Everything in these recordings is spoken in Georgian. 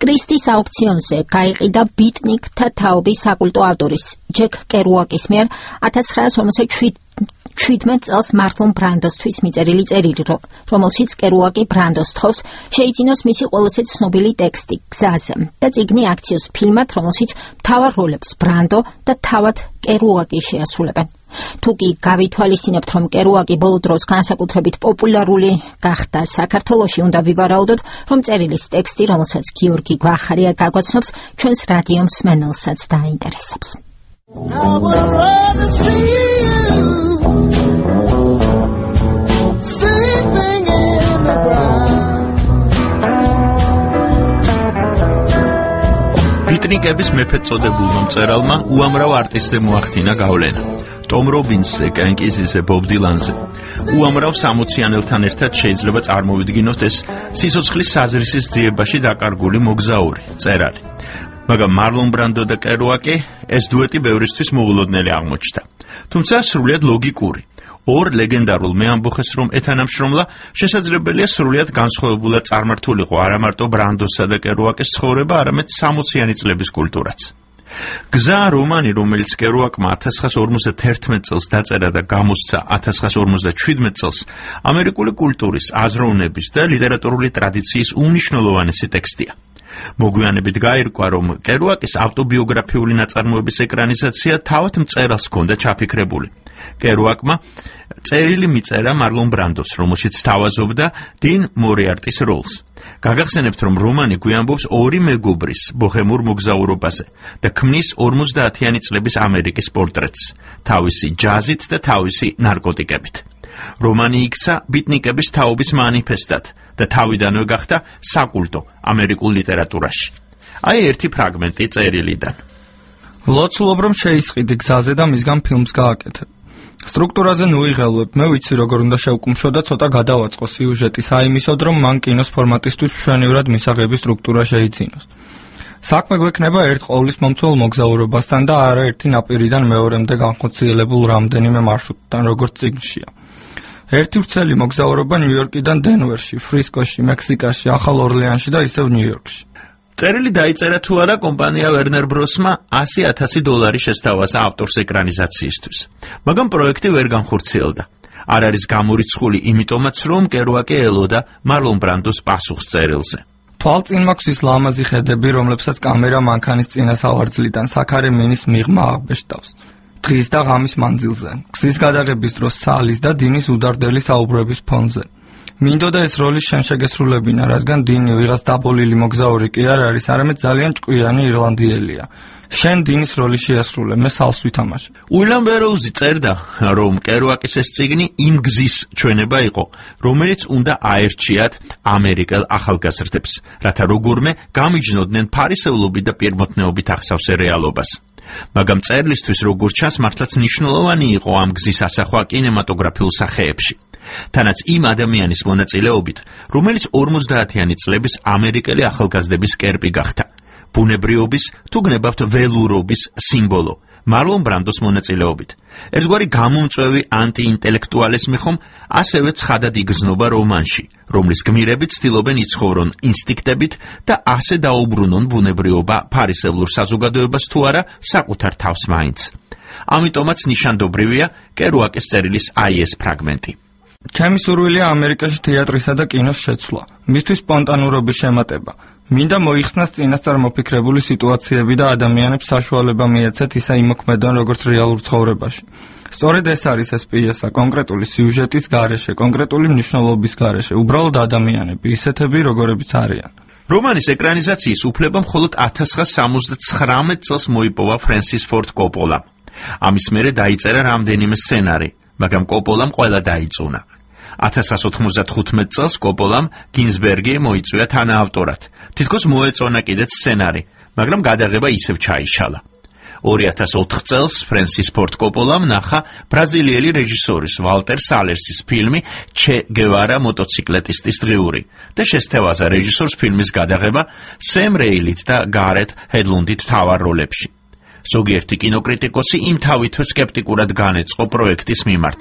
კრისტის აუქციონზე გაიყიდა ბიტნიკთა თაობის საკულტო ავტორის ჯეკ კერუაკის მიერ 1957 წელს მარლონ ბრანდოსთვის მიწერილი წერილი, რომელშიც კერუაკი ბრანდოს თხოვს შეიძინოს მისი ყველაზე ცნობილი ტექსტი გზაზე და წიგნი აქციოს ფილმად, რომელშიც მთავარ როლებს ბრანდო და თავად კერუაკი შეასრულებენ. თუ კი გავითვალისწინებთ, რომ კერუაკი ბოლო დროს განსაკუთრებით პოპულარული გახდა საქართველოში, უნდა ვივარაუდოთ, რომ წერილის ტექსტი, რომელსაც გიორგი გვახარია გაგვაცნობს, ჩვენს რადიო მსმენელსაც დაინტერესებს. ბიტნიკების მეფედ წოდებულმა მწერალმა უამრავ არტისტზე მოახდინა გავლენა. ტომ რობინსზე, კენკიზზე, ბობ დილანზე. უამრავ 60-იანელთან ერთად შეიძლება წარმოვიდგინოთ ეს სიცოცხლის საზრისის ძიებაში დაკარგული მოგზაური, მწერალი. მაგრამ მარლონ ბრანდო და კერუაკი ეს დუეტი ბევრისთვის მოულოდნელი აღმოჩნდა. თუმცა სრულიად ლოგიკური. ორ ლეგენდარულ მეამბოხეს რომ ეთანამშრომლა, შესაძლებელია სრულიად განსხვავებულად წარმართულიყო არა მარტო ბრანდოსა და კერუაკის ცხოვრება, არამედ 60-იანი წლების კულტურაც. გზა რომანი, რომელიც კერუაკმა 1951 წელს დაწერა და გამოსცა 1957 წელს, ამერიკული კულტურის, აზროვნების და ლიტერატურული ტრადიციის უმნიშვნელოვანესი ტექსტია. მოგვიანებით გაირკვა, რომ კერუაკის ავტობიოგრაფიული ნაწარმოების ეკრანიზაცია თავად მწერალს ჰქონდა ჩაფიქრებული. კერუაკმა წერილი მიწერა მარლონ ბრანდოს, რომელშიც სთავაზობდა 딘 მორიარტის როლს. გაგახსენებთ, რომ რომანი გვიამბობს ორი მეგობრის ბოჰემურ მოგზაურობაზე და ქმნის 50-იანი წლების ამერიკის პორტრეტს, თავისი ჯაზით და თავისი ნარკოტიკებით. რომანი იქცა ბიტნიკების თაობის მანიფესტად და თავიდანვე გახდა საკულტო ამერიკულ ლიტერატურაში. აი ერთი ფრაგმენტი წერილიდან. ლოცულობ რომ შეისყიდი გზაზე და მისგან ფილმს გააკეთებ. სტრუქტურაზე ნუიღელვებ, მე ვიცი როგორ უნდა შევკუმშო და ცოტა გადავაწყო სიუჟეტის აიმისოდ, რომ მან კინოს ფორმატისთვის მშვენივრად მისაღები სტრუქტურა შეიძინოს. საქმე გვექნება ერთ ყოვლისმომცველ მოგზაურობასთან და არაერთი ნაპირიდან მეორემდე განხორციელებულ რამდენიმე მარშრუტთან, როგორც წიგნშია. ერთი ვრცელი მოგზაურობა ნიუ-იორკიდან დენვერში, ფრისკოში, მექსიკაში, ახალ ორლეანში და ისევ ნიუ-იორკში. წერილი დაიწერა თუ არა კომპანია ვერნერ ბროსმა $100,000 შესთავაზა ავტორს ეკრანიზაციისთვის. მაგრამ პროექტი ვერ განხორციელდა. არ არის გამორიცხული იმიტომაც, რომ კერუაკი ელოდა მარლონ ბრანდოს პასუხს წერილზე. თვალწინ მაქვს ის ლამაზი ხედები, რომლებსაც კამერა მანქანის წინასავარძლიდან საქარე მინის მიღმა აღბეჭდავს. დღის და ღამის მანძილზე, გზის გადაღების დროს სალის და დინის უდარდელი საუბრების ფონზე. მინდოდა ეს როლი შენ შეგესრულებინა, რადგან დინი ვიღაც დაბოლილი მოგზაური კი არ არის, არამედ ძალიან ჭკვიანი ირლანდიელია. შენ დინის როლი შეასრულე, მე სალს ვითამაშე. უილიამ ბეროუზი წერდა, რომ კერუაკის ეს წიგნი იმ გზის ჩვენება იყო, რომელიც უნდა აერჩიათ ამერიკელ ახალგაზრდებს, რათა როგორმე გამიჯნობდნენ ფარისევლობით და პირმოთნეობით ახსავსე რეალობას. მაგრამ წერლისთვის როგორც ჩანს, მართლაც მნიშვნელოვანი იყო ამ გზის ასახვა კინემატოგრაფიულ სახეებში. თანაც იმ ადამიანის მონაწილეობით, რომელიც 50-იანი წლების ამერიკელი ახალგაზრდების კერპი გახდა. ბუნებრიობის, თუ გნებავთ ველურობის სიმბოლო, მარლონ ბრანდოს მონაწილეობით. ერთგვარი გამომწვევი ანტიინტელექტუალიზმი ხომ ასევე ცხადად იგრძნობა რომანში, რომლის გმირები ცდილობენ იცხოვრონ ინსტინქტებით და ასე დაუბრუნონ ბუნებრიობა ფარისევლურ საზოგადოებას თუ არა საკუთარ თავს მაინც. ამიტომაც ნიშანდობრივია კერუაკის წერილის აი ეს ფრაგმენტი. ჩემი სურვილია ამერიკაში თეატრისა და კინოს შეცვლა, მისთვის სპონტანურობის შემატება. მინდა მოიხსნას წინასწარ მოფიქრებული სიტუაციები და ადამიანებს საშუალება მიეცეთ ისა იმოქმედონ როგორც რეალურ ცხოვრებაში. სწორედ ეს არის ეს პიესა, კონკრეტული სიუჟეტის გარეშე, კონკრეტული მნიშვნელობის გარეშე, უბრალოდ ადამიანები, ისეთები, როგორებიც არიან. რომანის ეკრანიზაციის უფლება მხოლოდ 1979 წელს მოიპოვა ფრენსის ფორდ კოპოლამ. ამის მერე დაიწერა რამდენიმე სცენარი, მაგრამ კოპოლამ ყველა დაიწუნა. 1995 წელს კოპოლამ გინზბერგი მოიწვია თანაავტორად. თითქოს მოეწონა კიდეც სცენარი, მაგრამ გადაღება ისევ ჩაიშალა. 2004 წელს ფრენსის ფორდ კოპოლამ ნახა ბრაზილიელი რეჟისორის ვალტერ სალერსის ფილმი ჩე გევარა მოტოციკლეტისტის დღიური და შესთავაზა რეჟისორს ფილმის გადაღება სემ რეილით და გარეთ ჰედლუნდით მთავარ როლებში. ზოგიერთი კინოკრიტიკოსი იმთავითვე სკეპტიკურად განეწყო პროექტის მიმართ.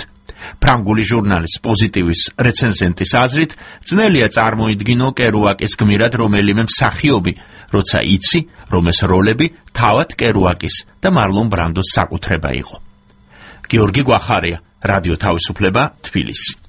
ფრანგული ჟურნალის პოზიტივის რეცენზენტის აზრით, ძნელია წარმოიდგინო კერუაკის გმირად რომელიმე მსახიობი, როცა იცი, რომ ეს როლები თავად კერუაკის და მარლონ ბრანდოს საკუთრება იყო. გიორგი გვახარია, რადიო თავისუფლება, თბილისი.